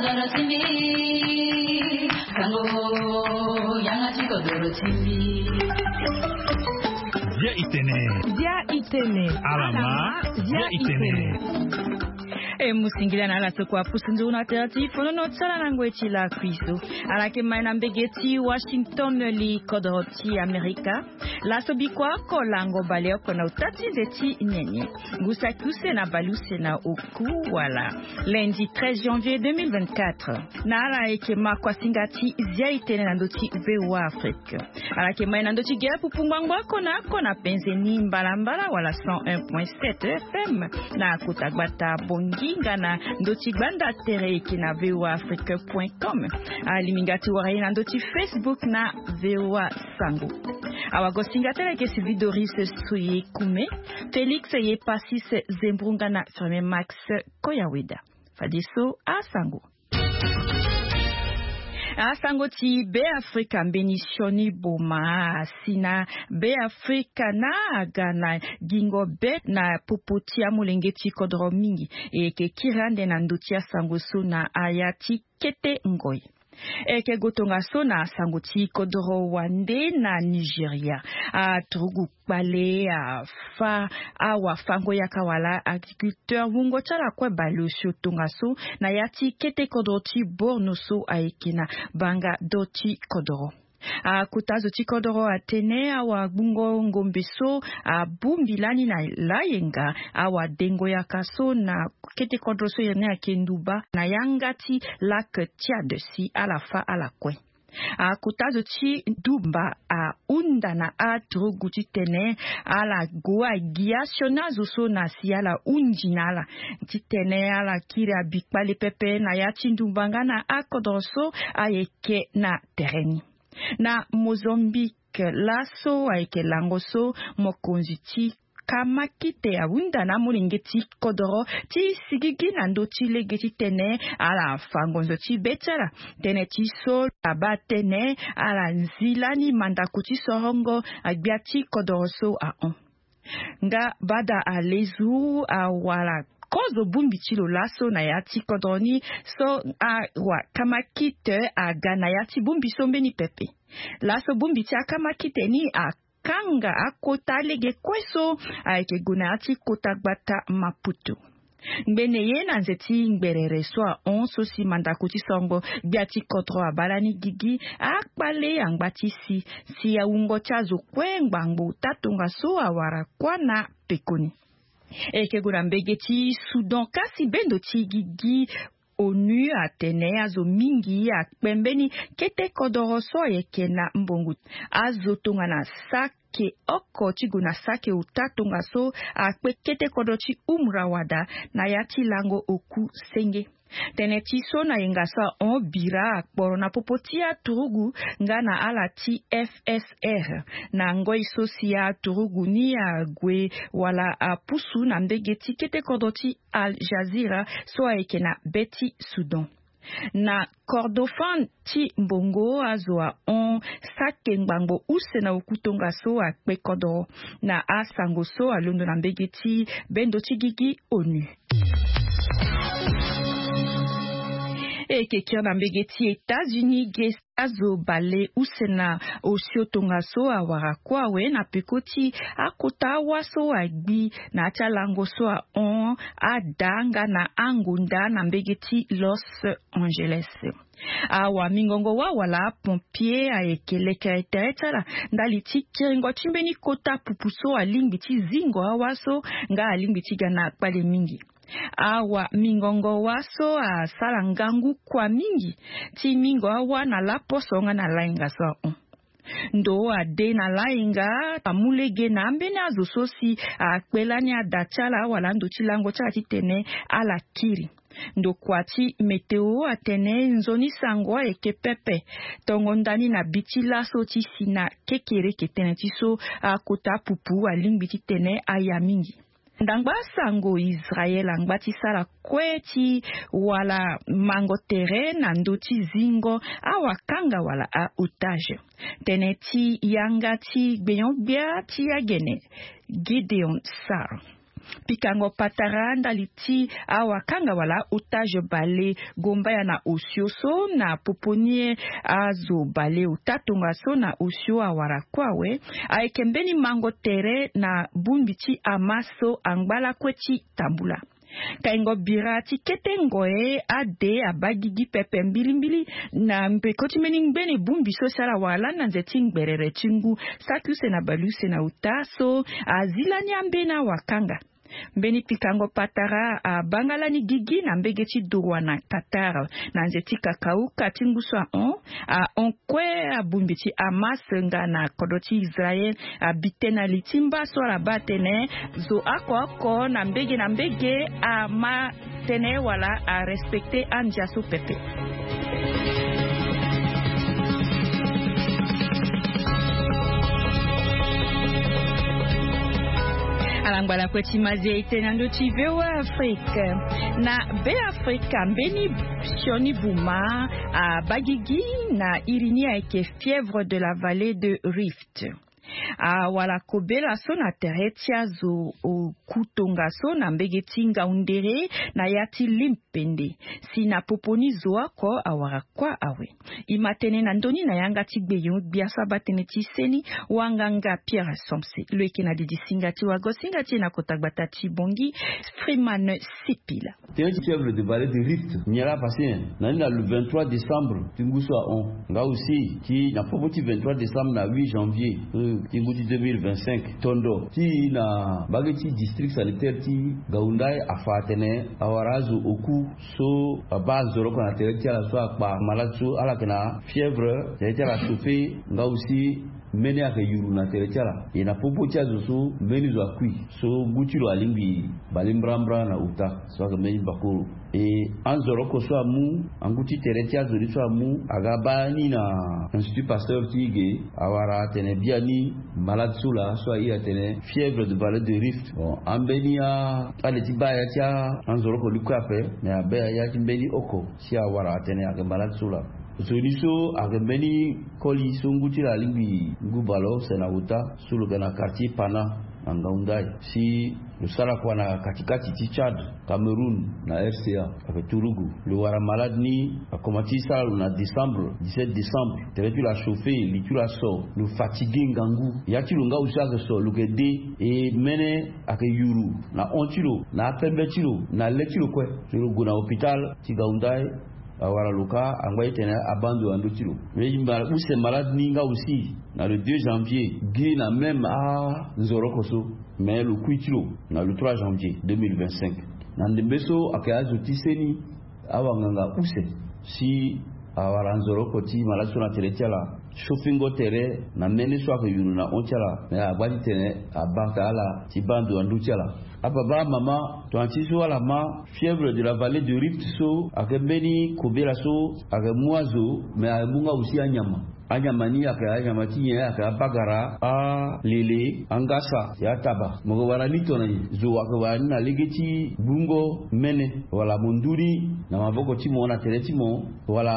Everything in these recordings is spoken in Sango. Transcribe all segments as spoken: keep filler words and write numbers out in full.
Sango ti mbi, sango yanga ti kodoro ti mbi. Bia itene. Bia itene. Alama, bia itene. E mu singila na ala so kua pusu nzoni na tere ti fonono ti ala na ngoi ti lakui so. Ala yeke mai na mbege ti Washington li kodoro ti Amerika. Laso bikua oko lango baleoko na ota ti nze ti nyenye. Ngu saki use na baleuse na oku wala. Lundi treize janvier deux mille vingt-quatre. Na ala yeke ma kuasinga ti zia itene na ndö ti V O A Afrique. Ala yeke mai na ndö ti gere pupu ngbangbo oko na oko na penze ni mbalambala wala cent un point sept F M na kota gbata Bongi nga na ndö ti gbanda tere yeke na V O A Afrique point com. Alingbi nga ti wara ye na ndö ti Facebook na V O A Sango. Awagosinga ti ala yeke Sylvie Doris Soye Kume, Félix Yepasis Zembrunga na Firmin Max Koyaweda. Fadeso asango. Asango ti Be Afrika mbeni sioni boma asi na Be Afrika na aga na gingo be na popo ti amolenge ti kodro mingi. E yeke kiri ande na ndö ti asango so na aya ti kete ngoi. E yeke gue tongaso na sango ti kodro wande na Nigeria. Aturugu kpale afa awafango-yaka wala agriculteur wungo ti ala kue baleosio tongaso na ya ti kete kodro ti Borno so ayeke na banga do ti kodro. Akota zo ti kodro atene awagbungo ngombe so abongbi lani na layenga awadengo-yaka so na kete kodro so iri ni ayeke nduba na yanga ti lac Tchad si ala fâ ala kue. Akota zo ti nduba ahunda na aturugu titene ala gue agi asioni azo so na si ala hundi na ala titene ala kiri abikpale pepe na ya ti nduba nga na akodro so ayeke na tere ni. Na Mozambique laso ayeke lango so mokonzi ti kamakite ahunda na amolenge ti kodoro ti sigigi na ndö ti lege titene ala fa ngonzo ti be ti ala. Tënë ti so abaa tënë ala nzi lani mandako ti sorongo agbia ti kodoro so ahon. Nga bada alezu awara kozo bongbi ti lo laso na ya ti kodro ni so awa kamakite aga na ya ti bongbi so mbeni pepe. Laso bongbi ti akamakite ni akanga akota lege kue so ayeke gue na ya ti kota gbata Maputo. Ngbene ye na nze ti ngberere so ahon so si mandako ti songo gbia ti kodro abaa lani gigi akpale angba ti si si awungo ti azo kue ngbangbo ota tongaso awara kuâ na pekoni. E yeke gue na mbege ti Soudan kasi bendo ti gigi onu atene azo mingi akpe mbeni kete kodoro so ayeke na mbongo azo tongana sake oko ti gue na sake ota tongaso akpe kete kodro ti Umra wada na ya ti lango oku senge. Tënë ti so na yenga so ahon bira akporo na popo ti aturugu nga na ala ti F S R na ngoi so si aturugu ni ague wala apusu na mbege ti kete kodro ti Al Jazeera so ayeke na be ti Soudan. Na Kordofan ti mbongo azo ahon sake ngbangbo use na oku tongaso akpe kodro na asango so alondo na mbege ti bendo ti gigi onu. E yeke kiri na mbege ti États-Unis ge azo bale use na osio tongaso awara kue awe na peko ti akota awa so agbi na ya ti alango so ahon ada nga na angonda na mbege ti Los Angeles. Awamingongo wâ wala apompier ayeke lekere tere ti ala ndali ti kiringo ti mbeni kota pupu so alingbi ti zingo awa so nga alingbi ti ga na kpale mingi. Awamingongo wâ so asara ngangu kua mingi ti mingo awa na laposo nga na layenga so ahon. Ndo ade na layenga amu lege na ambeni azo so si akpe lani ada ti ala wala ando ti lango ti ala titene ala kiri. Ndokua ti météo atene nzoni sango ayeke pepe tongo ndani na bi ti laso ti si na kekereke tënë ti so akota pupu alingbi titene aya mingi. Ndangba sango Israel angba ti sara kue ti wala mango tere na ndö ti zingo awakanga wala a-otage. Tënë ti yanga ti gbenyo-gbia ti agene Gideon Sar. Pikango patara ndali ti awakanga wala otage bale gombaya na osio so na popo ni azo bale ota tongaso na osio awara kue awe. Ayeke mbeni mango tere na bongbi ti hamas so angba lakue ti tambula. Kaingo bira ti kete ngoi ade abagigi pepe mbilimbili na mbeko ti mbeni ngbene bongbi so si ala wara lani na nze ti ngberere ti ngu saki use na baleuse na ota so azi lani ambeni awakanga. Mbeni pikango patara abanga lani gigi na mbege ti droit na qatar na nze ti kakauka ti ngu so ahon. Ahon kue abongbi ti hamas nga na kodro ti israel abi tënë na li ti mba so ala baa atene zo oko oko na mbege na mbege ama tënë wala arespecte andia so pepe. Ala ngbala kue ti mazi e tene na ndö ti voa afrique. Na be afrika mbeni sioni buma abagigi na iri ni ayeke fièvre de la vallée de rift. Awara kobela so na tere ti azo oku tongaso na mbege ti ngaundere na ya ti limpende si na popo ni zo oko awara kua awe. E ma tënë na ndö ni na yanga ti gbeyo gbia so abaa tënë ti seni wanganga pierre somse lo yeke na didi singa ti wago singa ti e na kota gbata ti bongi. Freeman sipila. Tënë ti fièvre de vallée de rift nyen laa pase nyen? Na ni na le vingt-trois décembre ti ngu so ahon nga aussi ti na popo ti vingt-trois décembre na huit janvier ti ngu ti deux mille vingt-cinq tondo ti na mbage ti district sanitaire ti gaundai afa atene awara azo oku so abaa nzoroko na tere ti ala so akpa malade so ala yeke na fièvre tere ti ala chauffe nga aussi mbeni ayeke yuru na tere ti ala. E na popo ti azo so mbeni zo akui so ngu ti lo alingbi bale mbrambra na uta so ayeke mbeni bakoro. E anzoroko so amu angu ti tere ti azo ni so amu aga baa ni na institut pasteur ti ge awara atene biani malade so laa so airi atene fièvre de vallée de rift. Bon ambeni ade ti baa ya ti anzoroko ni kue ape me abaa ya ti mbeni oko si awara atene ayeke malade so laa. Zo ni so ayeke mbeni koli so ngu ti lo alingbi ngu bale use na uta so lo yeke na quartier pana na ngaundai si lo sara kua na katikati ti tchad, cameroun na rca. Ayeke turugu lo wara malade ni akoma ti sara lo na décembre dix-sept décembre tere ti lo achauffe li ti lo aso lo fatigue ngangu ya ti lo nga aussi ayeke so lo yeke de e mene ayeke yuru na hon ti lo na apembe ti lo na le ti lo kue. So lo gue na hôpital ti gaundai awara lo ka angba ti tene abaa ndo na ndö ti lo. Mais use malade ni nga aussi na le deux janvier gi na même anzoroko so mais lo kui ti lo na le trois janvier deux mille vingt-cinq. Na ndembe so ayeke azo ti seni awanganga use si awara nzoroko ti malade so na tere ti ala chauffingo tere na mene so ayeke yuru na hon ti ala mais agba ti tene abata ala ti baa ndo na ndö ti ala. Ababa amama tongana ti so ala ma fièvre de la vallée de rift so ayeke mbeni kobela so ayeke mu azo mais ayeke mu nga aussi anyama. Anyama ni ayeke anyama ti nyen? Ayeke abagara, alele, angasa, ya taba. Mo yeke wara ni tongana nyen? Zo ayeke wara ni na lege ti gbungo mene wala mo ndu ni na maboko ti mo na tere ti mo wala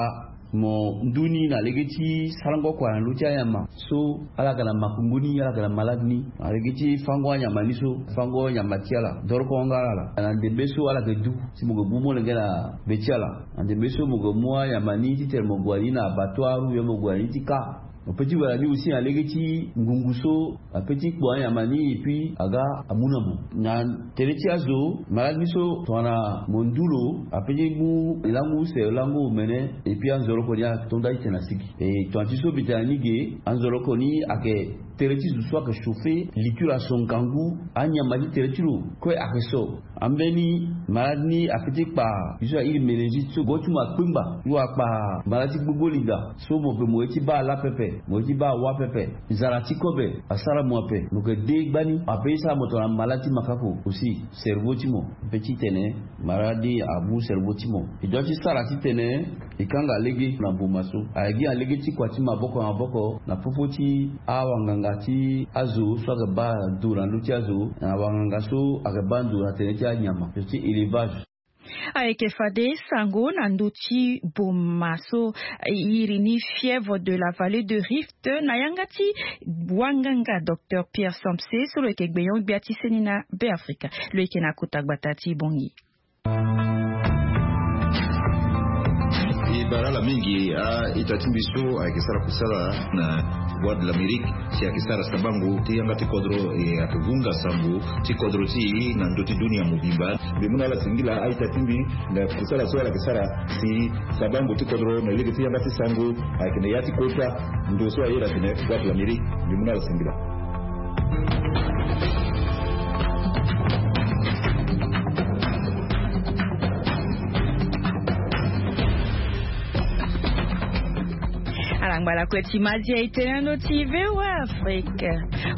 mo ndu ni na lege ti sarango kua na ndö ti anyama so ala yeke na makungu ni ala yeke na malade ni na lege ti fango anyama ni so fango nyama ti ala doroko nga ala na ndembe so ala yeke du si mo yeke bu molenge na be ti ala na ndembe so mo yeke mu anyama ni titene mo gue na ni na abattoir ou bien mo gue na ni ti ka. Mo pe ti wara ni aussi na lege ti ngungu so ape ti kpo anyama ni et puis aga amu na mo na tere ti azo malade ni so tongana mo ndu lo ape ti mu lango use lango omene et puis anzoroko ni atonda ti tene asigi. E tongana ti so mbi tene na ni ge anzoroko ni ayeke tere ti zo so ayeke chauffe li ti lo aso ngangu anyama ti tere ti lo kue ayeke so. Ambeni malade ni ape ti kpa li so airi meningite so go ti mo akpengba ti lo akpa malade ti gbogbo linda so mo pe mo ye ti baa ala pepe mo ye ti baa awa pepe. Zara ti kobe asara mo ape mo yeke de gbani ape ti sara mo tongana malade ti makako aussi cerveau ti mo. Ape ti tene malade ni amu cerveau ti mo e doit ti sara titene e kanga lege na boma so aye gi na lege ti kua ti maboko na maboko na popo ti awanganga ti azo so ayeke baa ndo na ndö ti azo na awanganga so ayeke baa ndo na tene ti anyama so ti élevage. Ayeke fade sango na ndö ti boma so iri ni fièvre de la vallée de Rift na yanga ti wanganga docteur Pierre Sampse so lo yeke gbenyo-gbia ti seni na Beafrika. Lo yeke na kota gbata ti Bangui. E bara ala mingi a-ita ti mbi so ayeke sara kusala na Voix de l'Amérique, si ayeke sara sabango ti yanga ti kodro, e ayeke hunga sango ti kodro ti e na ndö ti dunia mobimba. Mbi mu na ala singila a-ita ti mbi na kusala so ala yeke sara si sabango ti kodro na lege ti yanga ti sango ayeke na ya ti kota ndo so aye na tene Voix de l'Amérique. Mbi mu na ala singila. Ala ngba lakue ti madia e tene na ndö ti VOA Afrique.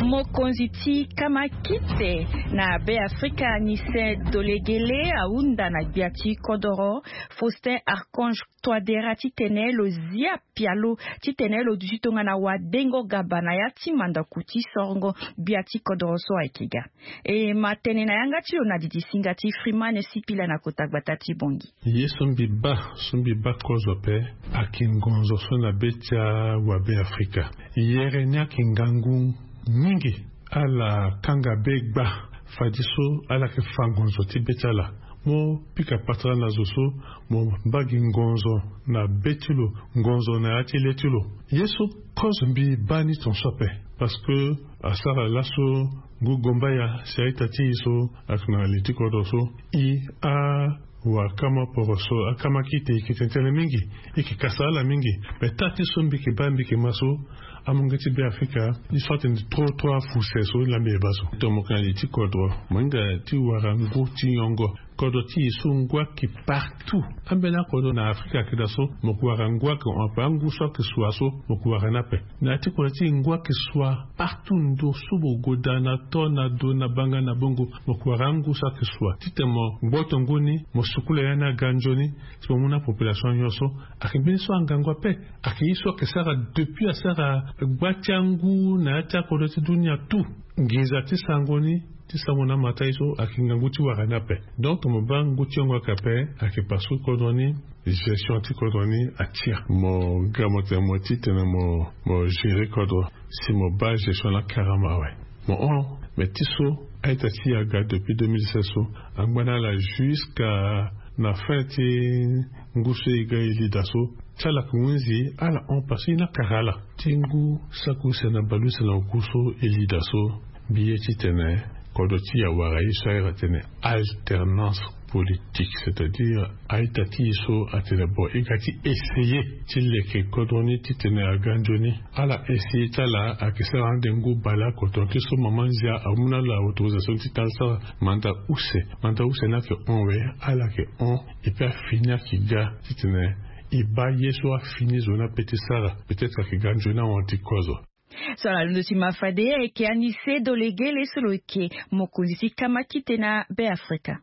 Mokonzi ti kamakite na Beafrika, Anise Dolegele, ahunda na gbia ti kodoro Faustin Archange Touadéra titene lo zia pialo titene lo duti tongana wadengo gaba na ya ti mandaku ti sorongo gbia ti kodoro so ayeke ga. E ma tene na yanga ti lo na didi singa ti Freeman Sipila na kota gbata ti Bangui. Ye so mbi baa, so mbi baa kozo ape, ayeke ngonzo so na be ti awabeafrika. Yere ni ayeke ngangu mingi. Ala kanga be gba fadeso ala yeke fa ngonzo ti be ti ala. Mo pika patara na zo so mo mbaa gi ngonzo na be ti lo, ngonzo na ya ti le ti lo. Ye so kozo mbi baa ni tongaso ape, parce que asara laso ngu gombaya si a-ita ti e so ayeke na li ti kodro so, e a wa kama poro so akama kite e yeke tene tënë mingi, e yeke kasa ala mingi. Me taa ti so mbi yeke baa mbi yeke ma so amolenge ti Beafrika, e so atene trop trop afuse so laa mbi yeke baa so. Tongana mo yeke na li ti kodro, mo hinga ti wara ngu ti nyongo. Kodro ti e so ngu ayeke partout. Ambeni akodro na Afrika ayeke daa so mo yeke wara ngu ayeke hon ape. Angu so ayeke sua so mo yeke wara ni ape. Na ya ti kodro ti e ngu ayeke sua partout. Ndo so mo gue daa na to na do na banga na bongo, mo yeke wara angu so ayeke sua. Titene mo gboto ngu ni, mo sukula ya ni aga nzoni, si mo mu na population nyonso. Ayeke mbeni so angangu ape. Ayeke ye so ayeke sara depuis asara gba ti angu na ya ti akodro ti dunia tout. Nginza ti sango ni, ti sango na amata ye so ayeke ngangu ti wara ni ape. Donc mo baa ngu ti yongo ayeke ape, ayeke parce que kodro ni, gestion ti kodro ni atia. Mo ga mo tene mo titene mo, mo gérer kodro. Si mo baa gestion laa carrément awe. Mo hon, mais ti so a-ita ti e aga depuis deux mille seize so, angba na ala jusqu'à na fin ti ngu so e ga e li daa so, ti ala yeke hunzi ala hon parce que e ni akara ala. Ti ngu saki use na bale use na oku so e li daa so, mbi ye titene kodro ti e awara ye so ahiri atene alternance politique, c'est-à-dire a-ita ti e so atene bon, e ga ti essayer ti leke kodro ni titene aga nzoni. Ala essayer ti ala ayeke sara ande ngu bale oko. Tongana ti so mama nzia amu na ala autorisation ti tene ala sara mandat use. Mandat use ni ayeke hon we, ala yeke hon. Et puis afini ayeke ga titene e baa ye so afini zo ni ape ti sara, peut-être ayeke ga nzoni ahon ti kozo. So ala londo ti ma fade ayeke Anise Dolegele so lo yeke mokonzi ti kamakite na Beafrika.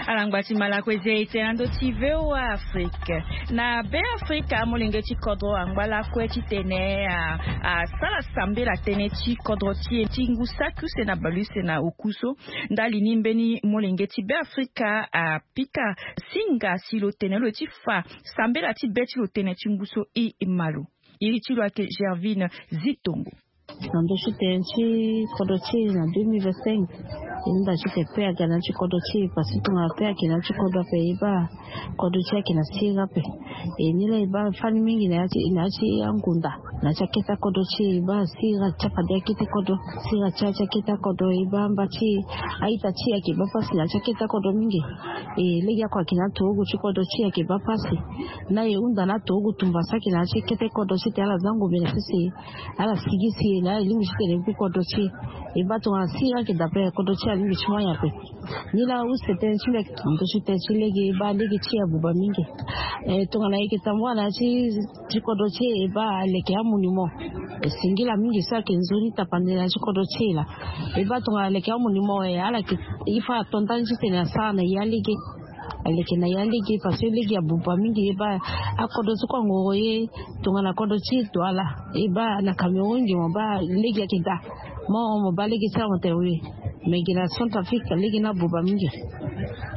Ala ngba ti ma lakue zia e tene na ndö ti VOA Afrique. Na Beafrika, molenge ti kodro angba lakue titene a, asara sambela tënë ti kodro ti e ti ngu saki use na bale use na oku so. Ndali ni mbeni molenge ti Beafrika apika singa si lo tene lo ti fa sambela ti be ti lo tënë ti ngu so e ma lo. Iri ti lo ayeke Gervine Zitongo. Na ndö ti tene ti kodro ti e na deux mille vingt-cinq, e hunda titene paix aga na ya ti kodro ti e, parce que tongana paix ayeke na ya ti kodro ape, e baa kodro ti e ayeke na siriri ape. E ni laa e baa fani mingi na ya ti, na ya ti angunda, na ya ti akete akodro ti e, e baa siriri atia fade akete kodro, siriri atia ti akete akodro, e baa amba ti e, a-ita ti e ayeke baa pasi na ya ti akete akodro mingi. E legeoko ayeke na aturugu ti kodro ti e ayeke baa pasi. Na e hunda na aturugu tumba so ayeke na ya ti kete kodro titene ala za ngombe na sese, ala sigi si e na ala lingbi titene e gbu kodro ti e. E baa tongana siriri ayeke daa ape, kodro ti e alingbi ti mu anyen ape. Nilaa use tënë ti mbi ayeke ndo ti tënë ti lege, e baa lege ti e abuba mingi. E tongana e yeke tambula na ya ti, ti kodro ti e, e baa aleke amonument. E singila mingi so ayeke nzoni tapande na ya ti kodro ti e laa. E baa tongana aleke amonument, e ala yeke, il faut ato ndani titene asara na e alege. Aleke na ya lege parce que lege abuba mingi e baa. Akodro ti kue angoro ye tongana kodro ti douala e baa na cameroun nge mo baa lege ayeke daa. Mo mo baa lege ti ala mo tene oui. Mais nge na centrafrique lege ni abuba mingi.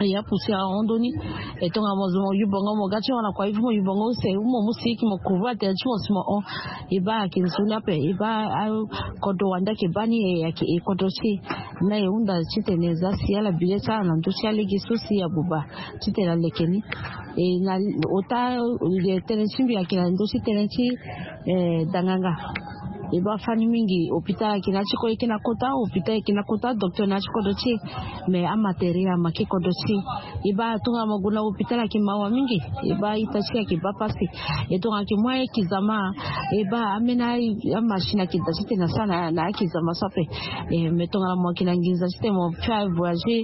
E ya pousi ahon ndoni. E tongana mo zo mo yubongo mo ga ti hon na kua ifu mo yubongo use mo mu siki mo kuvu atere ti mo si mo hon. E baa ayeke nzoni ape e baa. Kodro wande ayeke baa ni e ayeke e kodro ti e. Na e hunda titene e za si ala bile ti ala na ndö ti alege so si abuba titene aleke ni. E na ota tënë ti mbi ayeke na ndö ti tënë ti danganga. E baa fani mingi hôpital ayeke na ya ti ko e yeke na kota hôpital ayeke na kota docteur na ya ti kodro ti e. Mais amatériel amake kodro ti e. E baa tongana mo gue na hôpital ayeke mawa mingi. E baa ita ti e ayeke baa pasi. E tongana ayeke mu aye kizama e baa ambeni amachine ayeke daa titene asara na aye kizama so ape. Mais tongana mo yeke na nginza titene mo fâ voyager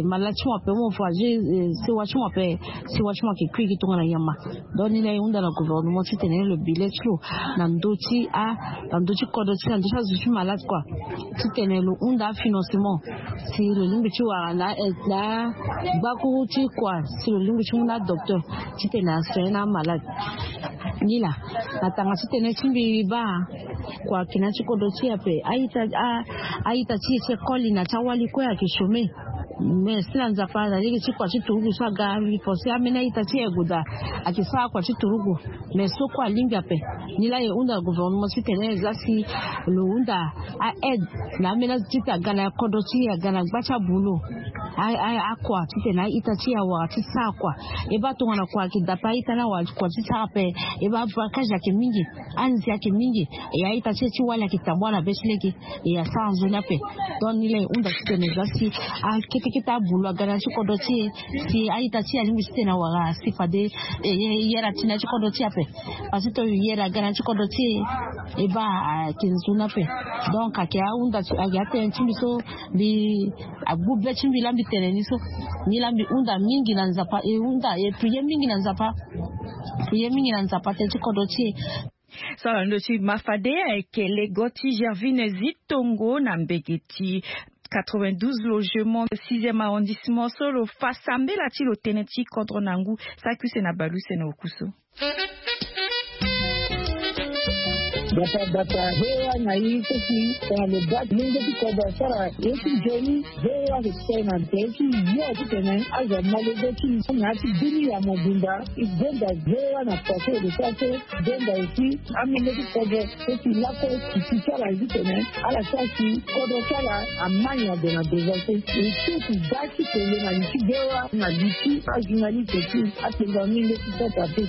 malade ti mo ape mo voyager sewa ti mo ape. Sewa ti mo ayeke kui gi tongana nyama. Donc ni na e hunda na gouvernement titene lo bile ti lo na ndö ti a na ndö ti kodro ti na ndö ti azo ti malade kua. Titene lo hunda afinancement si lo lingbi ti wara na na gbakuru ti kua si lo lingbi ti mu na adocteur titene asoin na amalade. Ni laa na tanga ti tënë ti mbi baa kua ayeke na ya ti kodro ti e ape. A-ita ti e ti école na ti awali kue ayeke chôme. Mais si na nzapa na lege ti kua ti turugu so aga mbi pense ambeni a-ita ti e ague daa. Ayeke sara kua ti turugu. Mais so kue alingbi ape. Ni laa e hunda gouvernement titene e za si lo hunda a-aide na ambeni azo titene aga na kodro ti e aga na gba ti abulo. Akua titene a-ita ti e awara ti sara kua. E baa tongana kua ayeke daa ape a-ita ni awara kua ti sara ape. E baa avantage ayeke mingi. Anze ayeke mingi. E a-ita ti e ti wali ayeke tambua na be ti lege. E asara nzoni ape. Donc ni laa e hunda titene e za si akete kete abulo aga na ya ti kodro ti e. Si a-ita ti e alingbi titene awara si fade e yere ati na ya ti kodro ti e ape. Parce que to yere aga na ya ti kodro ti e. E baa ayeke nzoni ape. Donc ayeke ahunda ti ayeke atënë ti mbi so mbi agbu be ti mbi laa mbi tene ni so. Ni laa mbi hunda mingi na nzapa e hunda e priye mingi na nzapa. Priye mingi na nzapa tënë ti kodro ti e. So ala ndo ti ma fade ayeke lego ti gervine zitongo na mbege ti quatre-vingt-douze logement sixième arrondissement so lo fa sambela ti lo tënë ti kodro na ngu. Saki use na baleuse na oku so. Bata bata hewa na ye so si tongana lo baa lenge ti kodro asara ye ti nzoni. Hewa ayeke tene na tere ti yo titene azo amolenge ti na ya ti bini ya mobimba. E gonda hewa na kua so e lo sara so. Gonda aussi amolenge ti kodro so si lakue si ti ti ala titene ala sara si kodro ti ala ama nyango na devant so. E so si baa ti tene na li ti hewa na li ti ajournaliste ti apenga mingi ti sata te.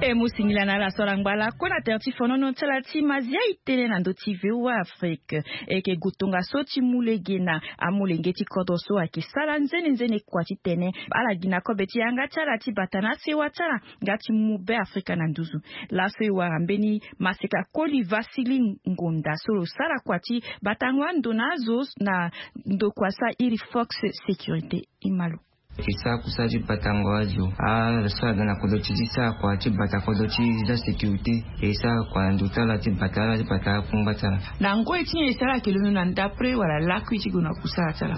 E mu singila na ala so ala ngba lakue na tere ti fonono ti ala ti mazia e tënë na ndö ti voa afrique. E yeke gue tongaso ti mu lege na amolenge ti kodro so ayeke sara nzene nzene kua titene ala gi na kobe ti yanga ti ala ti bata na asewa ti ala nga ti mu be afrika na nduzu. Laso e wara mbeni maseka koli vasili ngonda so lo sara kua ti batango ando na azo na ndokua so airi fox sécurité. E ma lo. E sara kusala ti batango azo ala so aga na kodro ti e ti sara kua ti bata kodro ti e ti asécurité. E sara kua na ndo ti ala ti bata ala ti bata akungba ti ala. Na ngoi ti nyen e sara ayeke londo na ndapre wala lakui ti gue na kusala ti ala?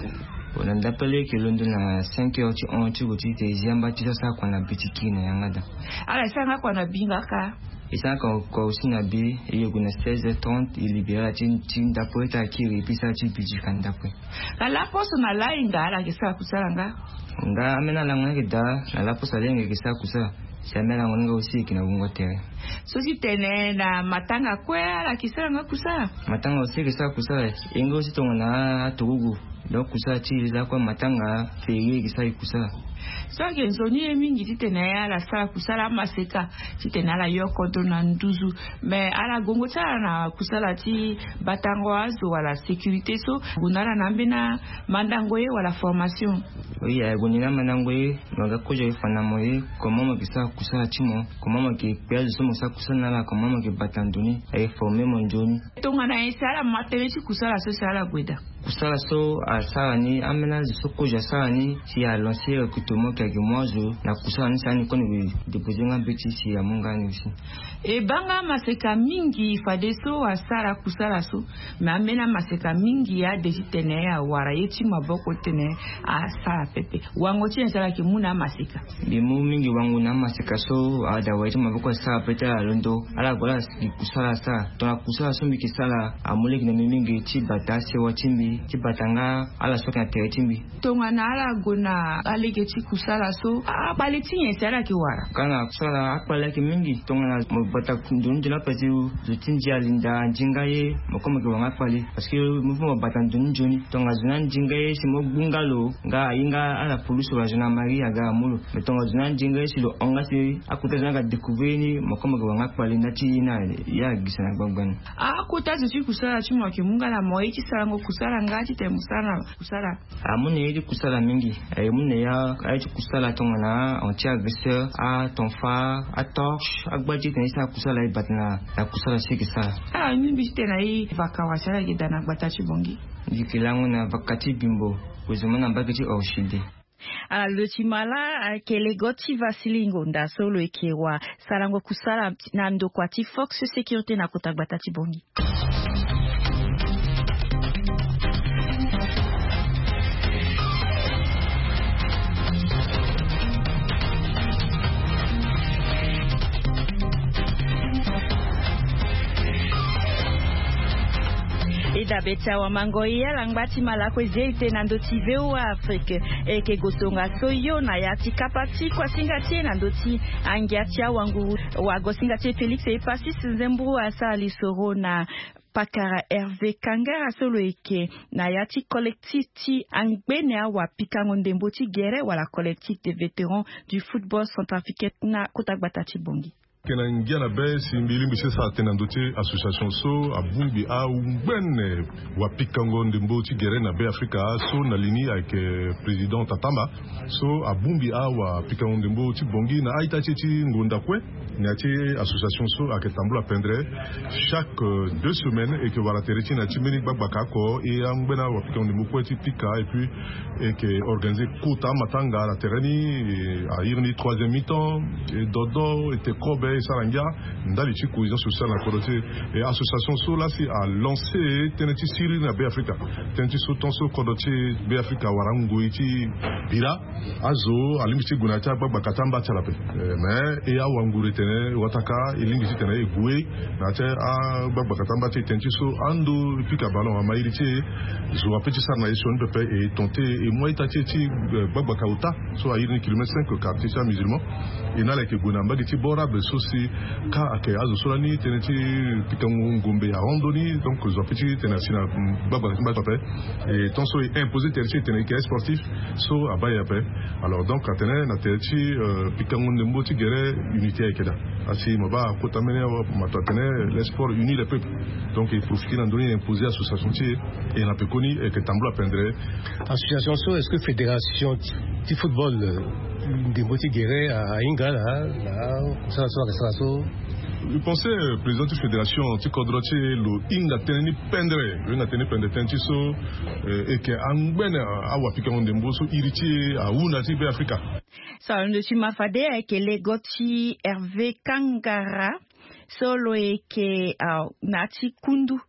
Na ndapre lege e yeke londo na cinq heures ti hon ti gue ti te e zi amba ti so asara kua na bi ti kiri na yanga daa. Ala e sara nga kua na bi nga kâ? E sara kua aussi na bi. E yeke gue na seize heures trente e libéré ala ti ndapre ti akiri e pesa ala ti bi ti ka ndapre. Na laposo na lainga ala yeke sara kusala nga? Nga ambeni alango ni ayeke daa. Na laposo na lainga e yeke sara kusala. Si ambeni alango ni nga aussi e yeke na wungo tere. So ti tene na matanga kue ala yeke sara nga kusala? Matanga aussi e yeke sara kusala. E nga aussi tongana aturugu. Donc kusala ti e lakue matanga férié e yeke sara e kusala. So ayeke nzoni ye mingi titene ala sara kusala amaseka titene ala yo kodro na nduzu. Mais ala gongo ti ala na kusala ti batango azo wala sécurité so ague na ala na ambeni amandango ye wala formation? Oui, ague na ni na amandango ye. Mo ga kozo aye fa na mo ye comment mo yeke sara kusala ti mo, comment mo yeke kpe azo so mo sara kusala na ala, comment mo yeke bata ndo ni. Aye forme mo nzoni. Tongana nyen si ala ma tënë ti kusala so si ala gue daa? Kusala so asara ni, ambeni azo so kozo asara ni si alancer recrutement, keke mo azo na kusala ni, sara ni koni depose nga mbeti si amu nga ni aussi. E baa nga maseka mingi fadeso asara kusala so. Me ambeni amaseka mingi ade ti tene awara ye ti maboko tene asara pepe. Wango ti nyen si ala yeke mu na amaseka? Mbi mu mingi wango na amaseka so ada wara ye ti maboko asara pepe ti ala londo. Ala gue ala gi kusala asara. Tongana kusala so mbi yeke sara amu lege na mbi mingi ti bata asewa ti mbi, ti bata nga ala so ayeke na tere ti mbi. Tongana ala gue na alege ti kusala so, akpale ti nyen si ala yeke wara? Ka na kusala akpale ayeke mingi. Tongana mo bata ndoni nzoni ape ti zo ti ndia alinda, andi nga ye, mo kue mo yeke wara nga akpale. Parce que mo fo mo bata ndoni nzoni. Tongana zo ni andi nga ye si mo gbu nga lo, nga ahinga ala pulusu wala gendarmerie aga amu lo. Mais tongana zo ni andi nga ye si lo hon nga si akota zo ni aga découvrir ni, mo kue mo yeke wara nga akpale, nda ti ye ni aye agisa na gbagba ni. Akota zo ti kusala ti mo ayeke mu nga na mo ye ti sarango kusala nga titene mo sara na kusala? Amu na ye ti kusala mingi. Aye mu na ye aye ti kusala tongana anti-agresseur, atonfa, atorche, agba ti tene ti sara kusala e bata na kusala so e yeke sara. Ala ni mbi ti tene na ye vaka wala si ala yeke daa na gbata ti Bangui? Mbi yeke lango na vaka ti Bimbo, gue zo mo na mbage ti Orchidée. Ala lo ti mala ayeke lego ti Vasili Ngonda so lo yeke wa sarango kusala na ndokua ti Fox Sécurité na kota gbata ti Bangui. E dabe ti awamango ye ala ngba ti malako e zia e te na ndö ti V O A Afrique. E yeke gue tongaso yo na ya ti kapa ti kuasinga ti e na ndö ti angia ti awanguru. Wagosinga ti e Félix Epasis Nzemburu asara lisoro na pakara Hervé Kangara so lo yeke na ya ti collectif ti angbene awapikango ndembo ti gere wala collectif des vétérans du football centrafricain na kota gbata ti Bangui. Yeke na ngia na be si mbi lingbi ti sara tënë na ndö ti association so abongbi angbene wapikango ndembo ti gere na Be Afrika so na li ni ayeke président Tatamba. So abongbi awapikango ndembo ti Bangui na a-ita ti e ti ngonda kue. Na ya ti association so ayeke tambula pendere. Chaque, euh, deux semaines e yeke wara tere ti e na ya ti mbeni gbagbaka oko, e angbene awapikango ndembo kue ti pika, et puis e yeke organiser kota amatanga na tere ni, e, a iri ni troisième mi-temps, e dodo, e te kobe, e sara ngia ndali ti cohésion sociale na kodro ti e. E association so laa si alancer tënë ti siriri na Be Afrika. Tënë ti so tant so kodro ti Be Afrika awara ngoi ti bira. Azo alingbi ti gue na ya ti agbagbaka ti amba ti ala ape. Eh, mais e awa nguru e tene wataka e lingbi ti tene e gue na ya ti agbagbaka ti amba ti e, tënë ti so ando e pika ballon ama iri ti e. Zo ape ti sara na ye sioni pepe e tente e mu a-ita ti e ti, eh, gbagbaka ota so a iri ni kilomètre cinq, quartier ti amusulman. E na ala yeke gue na mbage ti bord arabe so si ka ayeke azo so lani tënë ti pikango ngombe ahon ndoni. Donc zo ape ti tene asi na, mm, gbagbaka ti mba ti ape. E tant so e imposer tere ti e tene e yeke sportif so abaa e ape. Alors donc atene na tere ti, euh, pikango ndembo ti gere, unité ayeke daa. Asi mo baa kota mbeni awa mo to atene les sports unit les peuples. Donc e profiter na ndö ni e imposer association ti e. E na pekoni e yeke tambula pendere. Association so, est-ce que fédération ti, ti football, euh, ndembo ti gere a, ahinga na, na kusala so ayeke sara so? Je pensais, euh, président ti fédération ti kodro ti e lo hinga tënë ni pendere, lo hinga tënë ni pendere, tënë ti so, euh, e yeke angbene awapikango ndembo so iri ti e ahunda ti Be Afrika. So alondo ti ma fade ayeke lego ti Hervé Kangara so lo yeke, ah, na ya ti kundu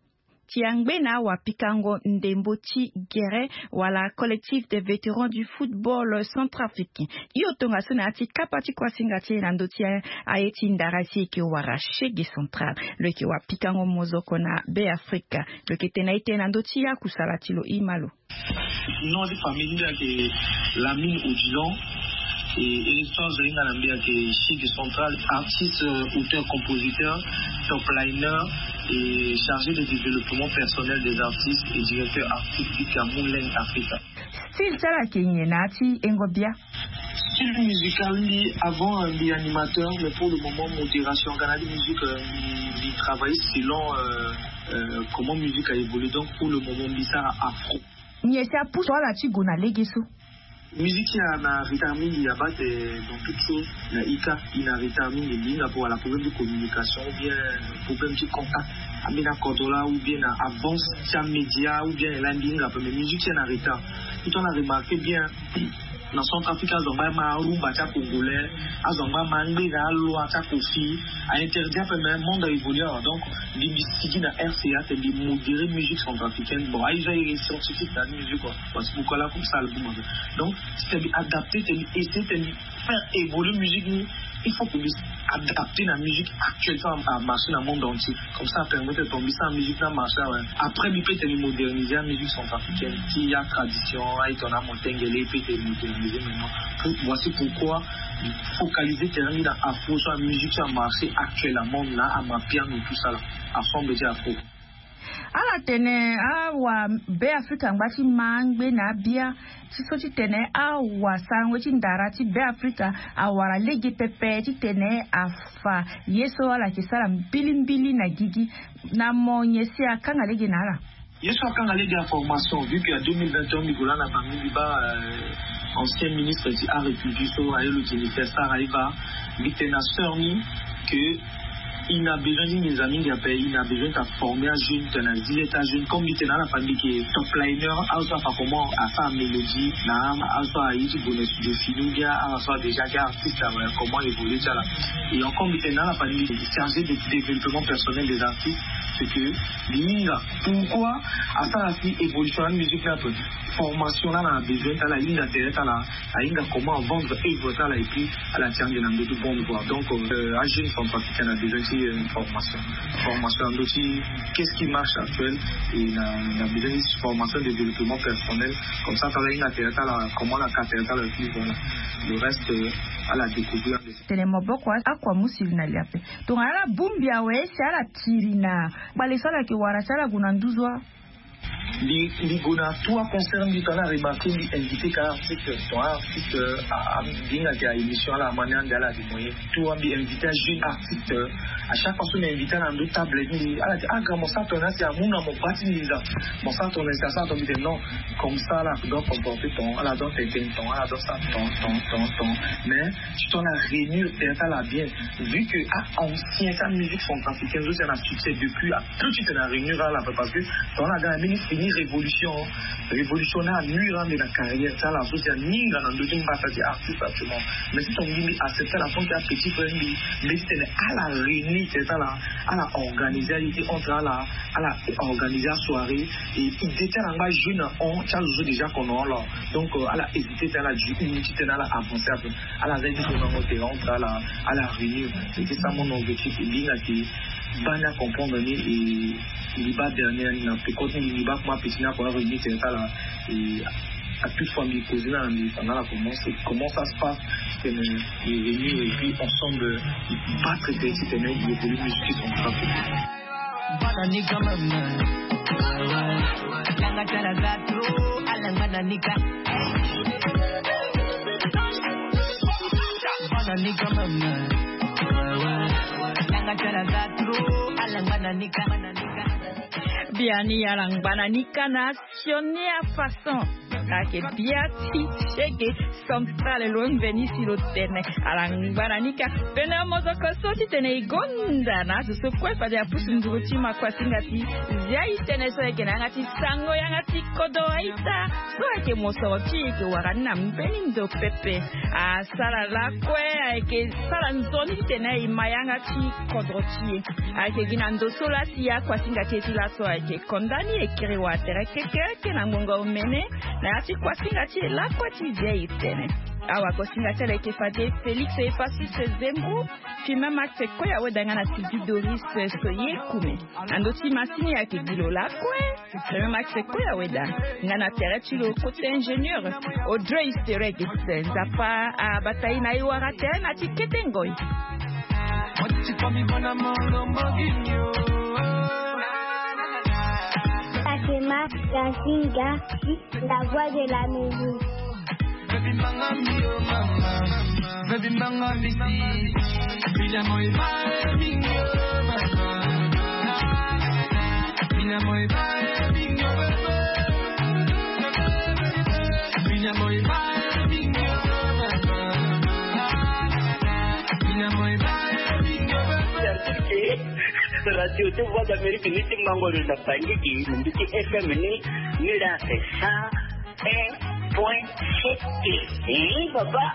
ti angbene awapikango ndembo ti gere wala collectif des vétérans du football centrafricain. Hio tongaso na ya ti kapa ti kuasinga ti e na ndö ti aye ti ndara si e yeke wara Chegue Central. Lo yeke wapikango mozoko na Be Afrika. Lo yeke tene na e tënë na ndö ti akusala ti lo, e ma lo. Nom ti famille ni ayeke Lamine Odilon. Et, et histoire zo hinga na mbi ayeke Chegue Central, artiste, euh, auteur, compositeur, top liner et chargé de développement personnel des artistes et directeur artistique à Moulin Africa. Style ti ala ayeke nyen na ya ti hengo bia? Style musical ni, avant, euh, mbi animateur, mais pour le moment modération, nga na ya ti musique, euh, mbi, mbi travaille selon, euh, euh, comment musique a évolué. Donc pour le moment mbi sara afro. Nyen si apusu ala ti gue na lege so? Musique ti e na retard mingi, abate dans toute chose. Na ika e na retard mingi, mbi hinga pour wala problème de communication ou bien problème de contact. Ambeni akodro laa ou bien na avance ti amédia ou bien na e laa mbi hinga ape, mais musique ti e na retard. Tout temps na remarquer bien, na Centrafrique azongba ma arumba ti acongolais, azongba ma angbe na aloi ti akofi, a interdit ape, mais monde a évoluer awa. Donc mbi mbi sigi na RCA te mbi modérer musique centrafricaine. Bon, aye so aye scientifique na musique quoi. Parce que pourquoi là comme ça album ape. Donc si te mbi adapter te mbi essayer te mbi faire évoluer musique ni, il faut que mbi adapter na musique actuelle so a marcher na monde entier. Comme ça a permettre ton mbi sa musique na marcher awe. Après mbi peut te mbi moderniser la musique centrafricaine ti ya tradition aye ton na motengele, peut te moderniser maintenant. Pour voici pourquoi focaliser terrain mbi na afro so la musique so a marcher actuellement na amapiano tout ça là, ensemble ti afro. Ala tene awa Beafrika angba ti ma angbe na abia ti so titene awasarango ti ndara ti Beafrika awara lege pepe titene afa ye so ala yeke sara mbilimbili na gigi. Na mo nyen si akanga lege na ala? Ye so akanga lege ya formation, vu que ya deux mille vingt et un mbi gue laa na bango mbi baa ancien ministre ti art et culture so aye lo Jennifer Sarr aye baa. Mbi tene na sœur ni que il na besoin ti nginza mingi ape, il na besoin ti aformer ajeune, tene na zi ye ti ajeune comme mbi tene na ala fa mbi yeke top liner, azo so afa comment asara mélodie na azo so aye ti gue na studio fini ou bien azo so a déjà ke artiste awe comment évoluer ti ala. Et encore mbi tene na ala fa mbi yeke chargé de développement personnel des artistes. C'est que mbi hinga pourquoi asara si évolution na musique ni ape. Formation laa na besoin ti ala ahinga tere ti ala, ahinga comment avendre œuvre ti ala et puis ala ti ande na ndö ti bonne voie. Donc ajeune centrafricain na besoin ti formation, formation na ndö ti qu'est-ce qui marche actuel, et na besoin ti formation développement personnel. Comme ça ti ala ahinga tere ti ala comment ala ka tere ti ala et puis voilà, le reste ala découvrir. Tene maboko akua musili na li ape. Tongana ala bongbi awe si ala tiri na kpale so ala yeke wara si ala gue na nduzu. Mbi mbi gue na tout aconcert mbi tongana remarquer mbi inviter ka artiste tongana artiste. Mbi hinga yeke a émission ala amani ande ala de moyen tout mbi inviter ajeune artiste. À chaque fois so mbi inviter ala na ndö table mbi ala ti ah grand mo sara tongana si amu na mo baa ti nginza. Mo sara tongana si asara tongana mbi tene non. Comme ça ala doit comporter ton ala doit tene ton ala doit sara ton ton ton ton. Mais si ton ala réunir tere ti ala bien, vu que ah ancien sa musique centrafricaine so si ana succès depuis ah plus ti tene aréunir ala ape parce que ton ala ga na mbeni fini révolution. Révolution ni anuire ande na carrière ti ala so si aninga na ndö ti mbata ti artiste actuellement. Mais si ton mbi mbi accepter ala tant que apetit frère mbi mbi ti tene ala réunir tere ti ala, ala organiser aye ti entre ala, ala organiser asoirée. Et idée ti ala angba jeune na hon ti azo so déjà kono hon alors. Donc ala hésiter ti ala du une ti tene ala avancer ape. Ala za ye ti so nango tere entre ala, ala réunir. C'était ça mon objectif. Mbi hinga yeke baa ni acomprendre ni. Et mbi baa dernier ni na peko ti mbi mbi baa kuma petit ni akoma réunir tere ti ala. Et à toute fois mbi causer na ala mbi fa na ala comment ça se passe. Titene mbi réunir et puis ensemble mbi battre tere titene mbi évolue musique centrafricaine. Bana ni quand même. Langa tala za trop, alangba na nika. Bana ni quand même. Langa tala za trop, alangba na nika. Biani alangba na nika na sioni a façon. Ayeke bia ti sege central lo mveni si lo tene ala ngba na nika. Pene mozoko so titene e gonda na azo so kue fade apusu nduru ti makuasinga ti zia e tene so ayeke na yanga ti sango yanga ti kodro aita. So ayeke mosoro ti e yeke wara ni na mbeni ndo pepe. Asara lakue ayeke sara nzoni titene e ma yanga ti kodro ti e. Ayeke gi na ndo so laa si akuasinga ti e ti laso ayeke konda ni e kiri wa tere kekereke na ngonga omene. Na ya ti kuasinga ti e lakue ti zia e tene. Awakuasinga ti ala ayeke fade Félix Efasiste Zembo, Firmin Max Koya Weda nga na Sylvie Doris Soye Kume. Na ndö ti masini ayeke gi lo lakue Firmin Max Koya Weda nga na tere ti lo côté ingénieur Audrey Sterek. Nzapa abata e na e wara tere na ti kete ngoi. Fatima Gazinga, la voix de la musique. Baby manga mi, oh mama. Baby manga mi si. Bila moi bae mi, oh mama. Bila moi bae mi, oh mama. Bila moi bae mi, oh mama. Bila moi bae mi, oh mama. Radio ti Voix d'Amérique ni ti mango lo na Bangui gi, mbi ti F M ni, ni la c'est cent un point sept. Eh, baba.